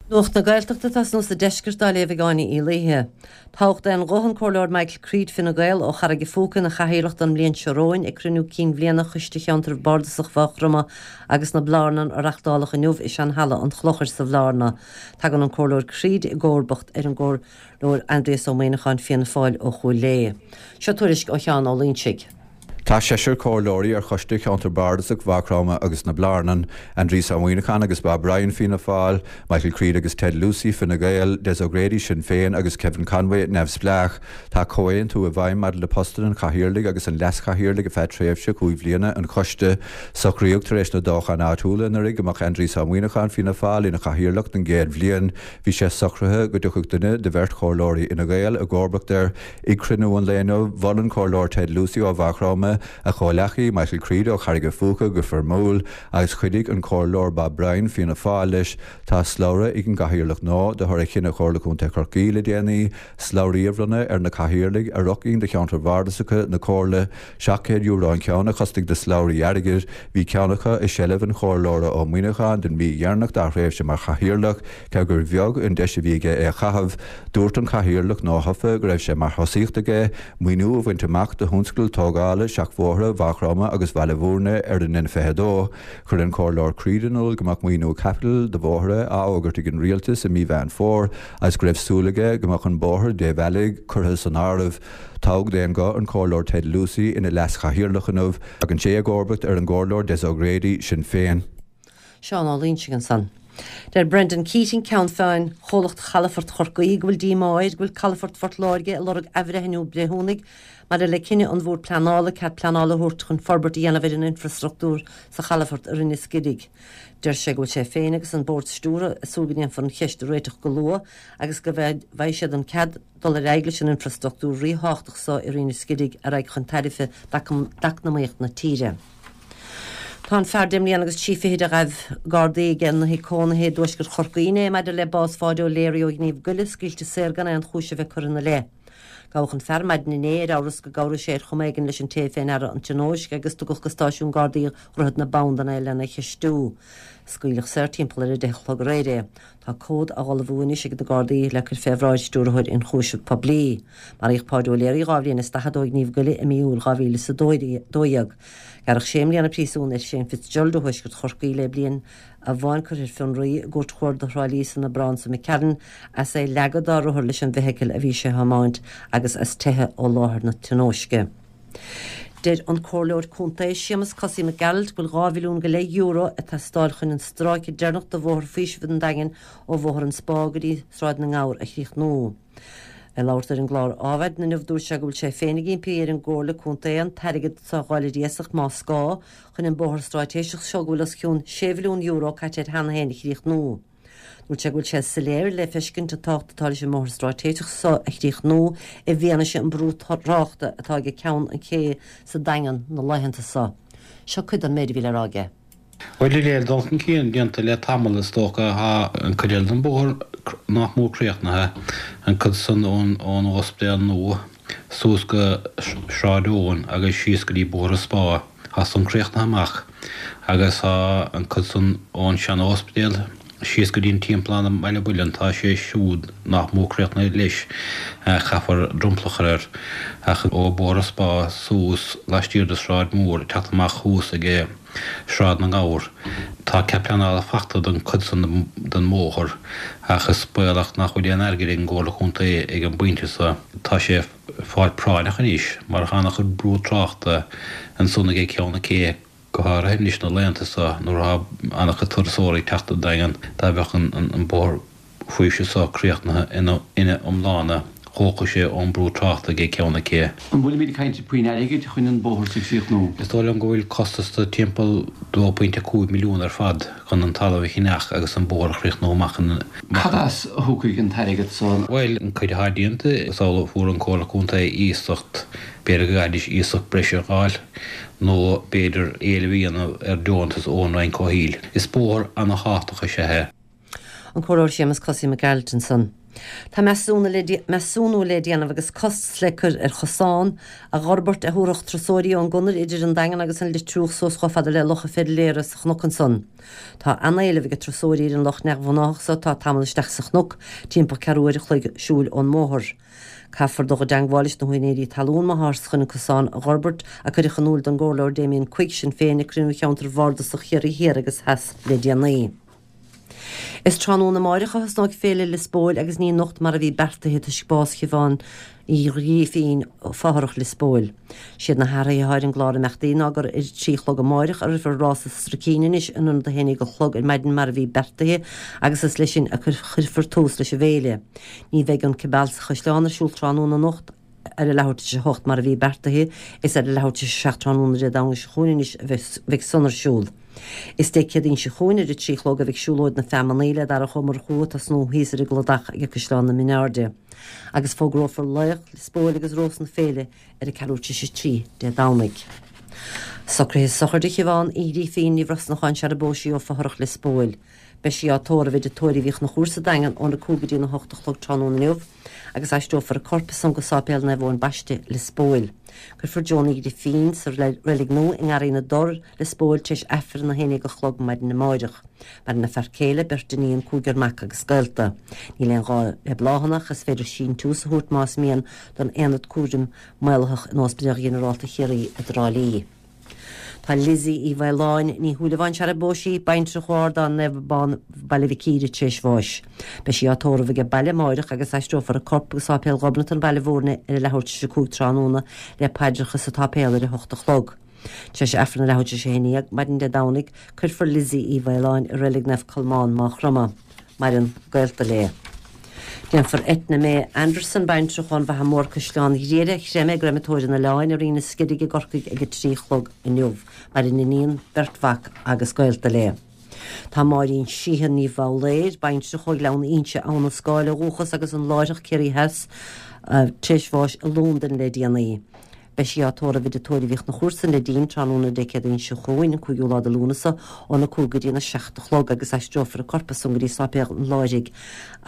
Nuacht na Gaeltachta atá sa Deisceart á léamh ag Áine Uí Laoithe. Toghadh d'aon ghuth an Comhairleoir Michael Creed, Fine Gael, ó Charraig a' Phúca ina chathaoirleach don mbliain seo romhainn ag cruinniú cinn bhliana Choiste Cheantar Bardasach Mhaigh Chromtha agus na Blarnan a reachtáladh inniu i sean-halla an Chlochair sa Bhlarna. Tagann an Comhairleoir Creed i gcomharbacht ar an gComhairleoir Aindrias Ó Muimhneacháin, Fianna Fáil, ó Chúil Léith. Seo tuairisc ó Sheán Ó Loingsigh. Tá seisear comhairleoirí ar Choiste Cheantar Bardasach Mhaigh Chromtha agus na Blarnan, Aindrias Ó Muimhneacháin agus Bob Ryan, Fianna Fáil, Michael Creed agus Ted Lucey, Fine Gael, Des O'Grady, Sinn Féin, agus Kevin Conway, Neamhspleách. Tá comhaontú i bhfeidhm maidir le postanna an Chathaoirligh agus an Leas-Chathaoirligh ar feadh tréimhse chúig bhliana an Choiste. Socraíodh tar éis na dtoghchán áitiúla anuraidh go mbeadh Aindrias Ó Muimhneacháin, Fianna Fáil, ina Chathaoirleach don gcéad bhliain. Bhí sé socraithe go dtiocfadh duine de bheirt chomhairleoirí Fhine Gael i gcomharbacht air. I gcruinniú an lae inniu, mhol an Comhairleoir Ted Lucey ó Mhaigh Chromtha a chomhleacaí, Michael Creed ó Charraig a' Phúca go foirmiúil, agus chuidigh an Comhairleoir Bob Bryan, Fianna Fáil, leis. Tá slabhra ag an gCathaoirleach nua de thoradh chinneadh Chomhairle Contae Chorcaí le déanaí, slabhraí a bhronnadh ar na Cathaoirligh ar fhochinn de cheantair bhardasacha na Comhairle. €700 an ceann a chosnaigh na slabhraí airgid. Bhí ceann acu i seilbh an Chomhairleora Ó Muimhneacháin don mhí dheireanach dá thréimhse mar Chathaoirleach. Cé gur bheag an deis a bhí aige é a chaitheamh, dúirt an Cathaoirleach nuathofa go raibh sé mar thosaíocht aige maoiniú a bhaint amach do thionscadal tógála seachbhóithre Mhaigh Chromtha agus Bhaile Bhúirne ar an N22. Chuir an Comhairleoir Creed in iúl go mbeadh maoiniú caipitil do bhóithre á fhógairt ag an Rialtas i mí Mheán Fómhair agus go raibh súil aige go mbeadh an bóthar débhealaigh curtha san áireamh. Toghadh d'aon ghuth an Comhairleoir Ted Lucey ina Leas-Chathaoirleach inniu. Tagann sé i gcomharbacht ar an gComhairleoir Des O'Grady, Sinn Féin. Seán Ó Loingsigh ansan. Deir Brendan Keating, Ceann Feadhain Chomhlacht Chalafort Chorcaí, go bhfuil díomá air go bhfuil Calafort Phort Láirge ag lorg athbhreithniú breithiúnaigh maidir le cinneadh an Bhoird Pleanála cead pleanála a thabhairt chun forbairt a dhéanamh ar an infreastruchtúr sa chalafort i Rinn an Scirig. Deir sé go bhfuil sé féin agus an Bord Stiúrtha ag súil go ndéanfar an cheist a réiteach go luath agus go bhfaighidh siad an cead dul ar aghaidh leis an infreastruchtúr ríthábhachtach so i Rinn an Scirig a raghaidh chun tairbhe d'eacnamaíocht na tíre. Tá an fear deich mbliana agus trí fichid a ghaibh Gardaí ag ina thigh cónaithe i dtuaisceart Chorcaí inné maidir le bás Pháidí O'Leary ó ghníomh goile scaoilte saor gan aon chúis a bheith curtha ina leith. Gabhadh an fear maidin inné ar amhras go gcabhraigh sé ar chuma éigin leis an té fé ndeara an tionóisc agus tugadh go stáisiún Gardaí Dhroichead na Bandan é lena cheistiú. Scaoileadh saor timpeall ar 10 a chlog aréir é. Tá comhad á ullmhú anois ag na Gardaí le cur fé bhráid Stiúrthóir Ionchúiseamh Poiblí. Maraíodh Páidí O'Leary 2 bhliain is 40 ó ghníomh goile i mí Iúil 2012. Gearradh sé mbliana príosúin ar Shane Fitzgerald ó thuaisceart Chorcaí le bliain amháin curtha ar fionraí i gCúirt Chuarda Thrá Lí san Aibreán seo McCarron as é leagadh dá rothar leis an bhfeithicil a bhí sé a thiomáint agus as teitheadh ó láthair na tionóisce. Deir an Comhairleoir Contae Séamus Cosaí Mac Gearailt go bhfuil €2 mhilliún go leith ag teastáil chun an stráice deireanach de Bhóthar Faoisimh an Daingin ó Bhóthar an Spá go dtí Sráid na nGabhar a chríochnú. Ag labhairt ar an gclár Adhmhaidin inniu dúirt sé go bhfuil sé féin ag impí ar an gComhairle Contae an t-airgead so a dh'fháil ar iasacht más gá chun an bóthar stráitéiseach seo go bhfuil os cionn €6 mhilliún caite air cheana féin a chríochnú. Dúirt sé go bhfuil sé soiléir le feiscint an tábhacht atá leis an mbóthar stráitéiseach so a chríochnú i bhfianaise an brú tráchta atá ag Ceann an Ché sa Daingean na laethanta so. Seo cuid den méid a bhí le rá aige. Bhuel, níl dul chun cinn déanta le tamall is dócha. Tá an cuid eile den bhóthar nach mór críochnaithe, an cuid san ón ospidéal nua suas go Sráid Eoin agus síos go dtí Bóthar an Spá. Tá san críochnaithe amach agus tá an cuid san ón sean-óspidéal síos go dtí an timpeallán i mBaile Mhuilinn, tá sé siúd nach mór críochnaithe leis, caithfear dromchla a chur air. Ach ó Bhóthar an Spá suas laistiar de Sráid Mhór ag teacht amach thuas ag Sráid na nGabhar, tá cead pleanála fachta don cuid san den mbóthar ach is baolach nach bhfuil aon airgead ag an gComhairle Contae ag an bpointe so. Tá sé. fáil práinneach anois mar tá an-chuid brú tráchta ansan ag Ceann na Cé, go háirithe anois na laethanta so nuair atá an-chuid turasóirí ag teacht an Daingean. Dá mbeadh an bóthar faoisimh so críochnaithe ina iomláine thógfadh sé ón brú tráchta ag Ceann na Cé. An bhfuilimid ag caint faoin airgead chun an bóthar so a chríochnú? Is dóigh liom go bhfuil costas de timpeall 2.5 milliún ar fad chun an talamh a cheannach agus an bóthar a chríochnú amach in. Cad as a thiocfaidh an t-airgead san? Bhuel, an cuid atá déanta, is amhlaidh a fuair an Comhairle Contae iasacht, b'fhéidir go gcaithfidís iasacht breise a dh'fháil, nó b'fhéidir éileamh a dhéanamh ar deontas ón Roinn Comhshaoil. Is bóthar ana-thábhachtach is ea é. An Comhairleoir Séamus Cosaí Mac Gearailt ansan. Tá measúnú le déanamh agus costas le cur ar chosán a dh'fhorbairt a thabharfadh turasóirí ón gconair idir an Daingean agus an Leitriúch suas chomh fada le Loch an Feirléara sa chnoc ansan. Tá an-éileamh ag turasóirí ar an loch neamhghnáthach so atá tamall isteach sa chnoc, timpeall ceathrú uair a chloig siúil ón mbóthar. Caithfear dul i dteangmháil leis na húinéirí talún má tháthar chun an cosán a dh'fhorbairt, a cuireadh in iúl don gComhairleoir Damien Quigg, Sinn Féin, ag cruinniú cheantar bhardasach Chiarraí Thiar agus Theas le déanaí. Is tráthnóna amáireach a thosnóidh Féile Lios Póil agus ní anocht mar a bhí beartaithe toisc bás Shiobhán Uí Ghrífín, fothrach Lios Póil. Siad na hathruithe atá ar an gclár imeachtaí ná gur ar a 3 a chlog amáireach a rithfear rása stracín anois in ionad 11 a chlog ar maidin mar a bhí beartaithe agus is leis sin a chuirfear tús leis an bhféile. Ní bheidh an Cibeal sa Chaisleán ar siúl tráthnóna anocht ar a leathuair tar éis a hocht mar a bhí beartaithe, is ar a leathuair tar éis a 7 tráthnóna Dé Domhnaigh seo chugainn anois a bheidh san ar siúl. Is Dé Céadaoin seo chugainn ar a 3 a chlog a bheidh siúlóid na feamannaí le Darach Ó Murchú ag tosnú thíos ar an gcladach ag Caisleán na Mioneairde. Agus fógrófar laoch Lios Póil agus Rós na Féile ar a ceathrú tar éis a 3 Dé Domhnaigh. Socruithe sochraide Shiobhán Uí Ghrífín Ní Bhrosnacháin sar a bpós sí ó fothrach Lios Póil. Beidh sí á tórramh i dTigh Tórraimh Uí Chonchúir sa Daingean óna 5 go dtí na 8 a chlog tráthnóna inniu agus aistreofar a corp ansan go Sáipéal Naomh Eoin Baiste, Lios Póil. Cuirfear Joan Uí Ghrifín sa reilig nua i nGarraí na dTor, Lios Póil tar éis Aifreann a 11 a chlog maidin amáireach. Maireann a fear céile, beirt iníon, cúigear mac agus gaolta. Níl aon ghá le bláthanna ach is féidir síntiús a thabhairt más mian don Aonad Cúraim Maolaitheach in Ospidéal Ghinearálta Chiarraí i dTrá Lí. Tá Lizzie Uí Mhaoláin, Ní Shúilleabháin sar a bpós sí, baintreach ó Ardán Naomh Abán, Baile Mhic Íre tar éis bháis. Beidh sí á tórramh age baile amáireach agus aistreofar a corp go Sáipéal Ghobnatan, Baile Mhúirne ar a leathuair tar éis a 5 tráthnóna le paidreacha sa tsáipéal ar a hocht a chlog. Tar éis Aifreann a leathuair tar éis a 11 maidin Dé Domhnaigh, cuirfear Lizzie Uí Mhaoláin i Reilig Naomh Colmán, Maigh Chromtha. Maireann gaolta léi. Déanfar Eithne May Anderson, baintreach ón bhFaiche Mhór Caisleán Ghriaire, a chreimeadh i gcreimeatóir an Oileáin i Rinn an Sceilg i gCorcaigh ag a 3 a chlog inniu. Maireann iníon, beirt mhac agus gaolta léi. Tá Máirín Sheehan Ní Bhoghlaeir, baintreach ó Ghleann Inse, Abhainn an Scáil ó dhúchas agus an Láithreach Ciarraí Theas, tar éis bháis i Londain le déanaí. Beidh sí á tórramh i dTigh Tórraimh Uí Chonchúir sa Neidín tráthnóna Dé Céadaoin seo chugainn, an 5ú lá de Lúnasa, óna 5 go dtína 7 a chlog agus aistreofar a corp ansan go dtí Sáipéal an Láithrigh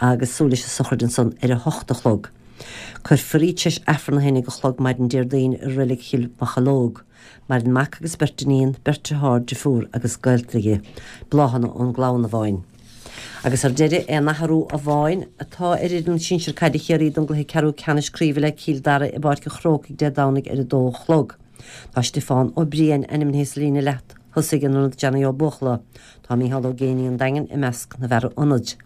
agus súil leis an sochraid ansan ar a hocht a chlog. Cuirfear í tar éis Aifreann a haon déag a chlog maidin Déardaoin i Reilig Chill Mocheallóg. Maireann mac agus beirt iníon, beirt dearthár, driofúr agus gaolta di. Bláthanna ón gclann amháin. Agus ar deireadh, aon athrú amháin atá ar fhoireann sinsir caide Chiarraí don gcluiche ceathrú ceannais craoibhe le Cill Dara i bPáirc an Chrócaigh Dé Domhnaigh ar 2 a chlog. Tá Stiofán Ó Briain ainmnithe sa líne leath-thosaigh in ionad Johnny Ó Buachalla. Tá Micheál Ó Géibheannaigh an Daingin i measc na bhfear ionaid.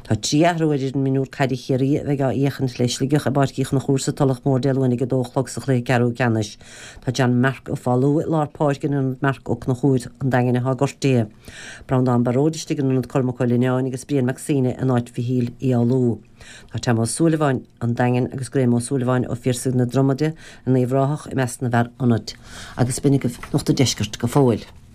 Tá 3 athrú ar fhoireann mionúr caide Chiarraí a bheidh á fhéachaint le Sligeach i bPáirc Uí Chonchúir sa Tulach Mhór Dé Luain ag 2 a chlog sa chluiche ceathrú ceannais. Tá John Mark Ó Foghlú i lár páirce in ionad Marc Ó Conchúir an Daingin atá gortaithe. Breandán Baróid istigh in ionad Cormac Ó Lionáin agus Brian Mac Suibhne in áit Mhichíl Uí Fhoghlú. Tá Tom Ó Súilleabháin an Daingin agus Graham Ó Súilleabháin ó Phiarsaigh na Dromaide in Uíbh Ráthach i measc na bhfear ionaid. Agus b'in agaibh Nuacht an Deiscirt go fóill.